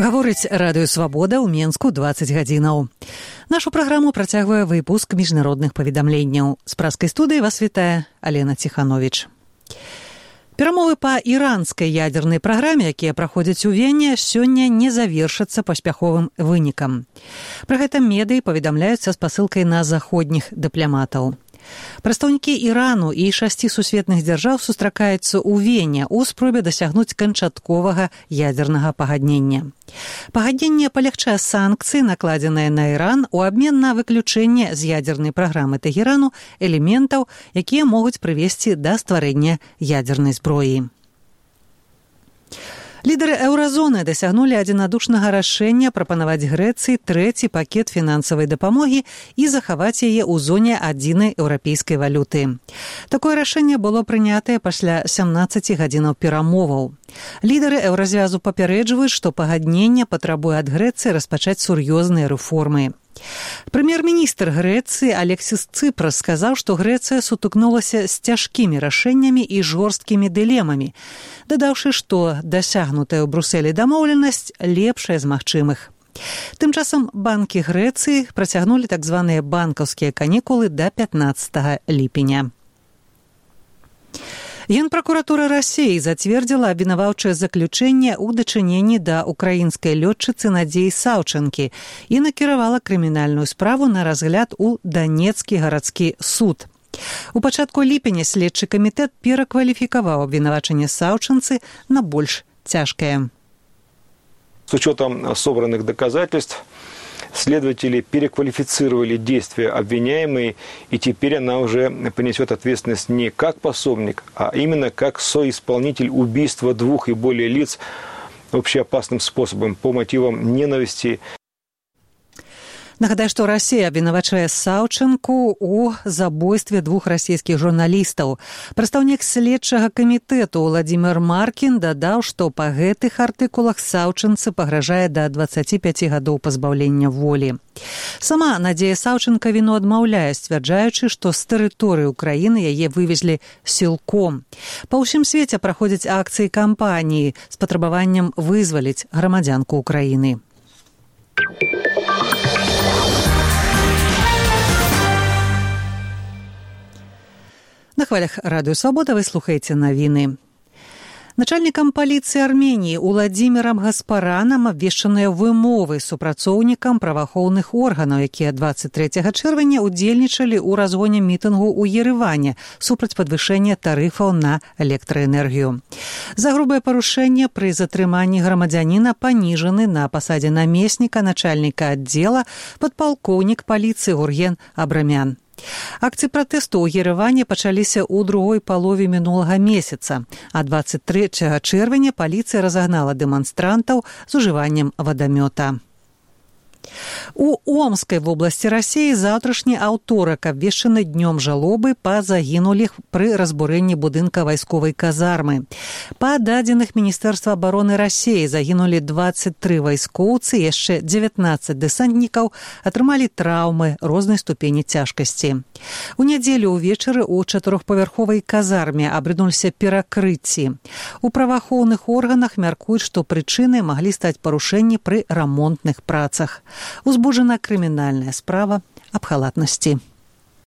Гаворыць Радыё Свабода ў Менску 20 гадзінаў. Нашу праграму працягвае выпуск міжнародных паведамленняў. З праскай студыі вас вітае Алена Ціхановіч. Перамовы па іранскай ядзернай праграме, якія праходзяць у Вене, сёння не завершацца паспяховым вынікам. Пра гэта медыі паведамляюцца з пасылкай на заходніх дыпламатаў. Прадстаўнікі Ірану і 6 сусветных дзяржаў сустракаюцца ў Вене ў спробе дасягнуць канчатковага ядзернага пагаднення. Пагадненне палягчае санкцыі, накладзеныя на Іран, у абмен на выключэнне з ядзернай праграмы Тэхерану элементаў, якія могуць прывесці да стварэння ядзернай зброі. Лідары еўразоны дасягнулі адзінадушнага рашэння прапанаваць Грэцыі трэці пакет фінансавай дапамогі і захаваць яе ў зоне адзінай еўрапейскай валюты. Такое рашэнне было прынятае пасля 17 гадзінаў перамоваў. Лідары еўразвязу папярэджваюць, што пагадненне патрабуе ад Грэцыі распачаць сур'ёзныя рэформы. Прэм'ер-міністр Грэцыі Алексіс Цыпрас сказаў, што Грэцыя сутыкнулася з цяжкімі рашэннямі і жорсткімі дылемамі, дадаўшы, што дасягнутая ў Брусэлі дамоўленасць лепшая з магчымых. Тым часам банкі Грэцыі працягнулі так званыя банкаўскія канікулы да 15 ліпеня. Генпракуратура Расіі зацвердзіла абвінаваўчае заключэнне ў дачыненні да украінскай лётчыцы Надзеі Саўчанкі і накіравала крымінальную справу на разгляд у Данецкі гарадскі суд. У пачатку ліпеня следчы камітэт перакваліфікаваў абвінавачанне Саўчанцы на больш цяжкае. С учетом собранных доказательств, следователи переквалифицировали действия обвиняемой, и теперь она уже понесет ответственность не как пособник, а именно как соисполнитель убийства 2 и более лиц общеопасным способом по мотивам ненависти. Нагадаю, што Расія абвінавачае Саўчанку ў забойстве 2 расійскіх журналістаў. Прадстаўнік следчага камітэту Владзімір Маркін дадаў, што па гэтых артыкулах Саўчанцы пагражае да 25 гадоў пазбаўлення волі. Сама Надзея Саўчанка віну адмаўляе, сцвярджаючы, што з тэрыторыі ўкраіны яе вывезлі сілком. Па ўсім свеце праходзяць акцыі кампаніі з патрабаваннем вызваліць грамадзянку Украіны. На хвалях Радыё Свабода вы слухаеце навіны. Начальнікам паліцыі Арменіі Уладзімірам Гаспаранам абвешчаныя вымовы супрацоўнікам праваахоўных органаў, якія 23 чэрвеня удзельнічалі ў разгоне мітынгу ў Ереване супраць падвышэння тарыфаў на электраэнергію. За грубае парушэнне пры затрыманні грамадзяніна паніжаны на пасадзе намесніка начальніка аддзела падпалкоўнік паліцыі Гурген Абрамян. Акцыі пратэсту ў Ереване пачаліся ў другой палове мінулага месяца, а 23 чэрвеня паліцыя разагнала дэманстрантаў з ужываннем вадамёта. У Омскай вобласці Расіі заўтрашні аўторак абвешчаны днём жалобы па загінулых пры разбурэнні будынка вайсковай казармы. Па дадзеных Міністэрства абароны Расіі загінулі 23 вайскоўцы, яшчэ 19 дэсантнікаў атрымалі траўмы рознай ступені цяжкасці. У нядзелю ўвечары ў 4павярховай казарме абрынуліся перакрыцці. У праваахоўных органах мяркуюць, што прычынай маглі стаць парушэнні пры рамонтных працах. Узбуджана крымінальная справа аб халатнасці.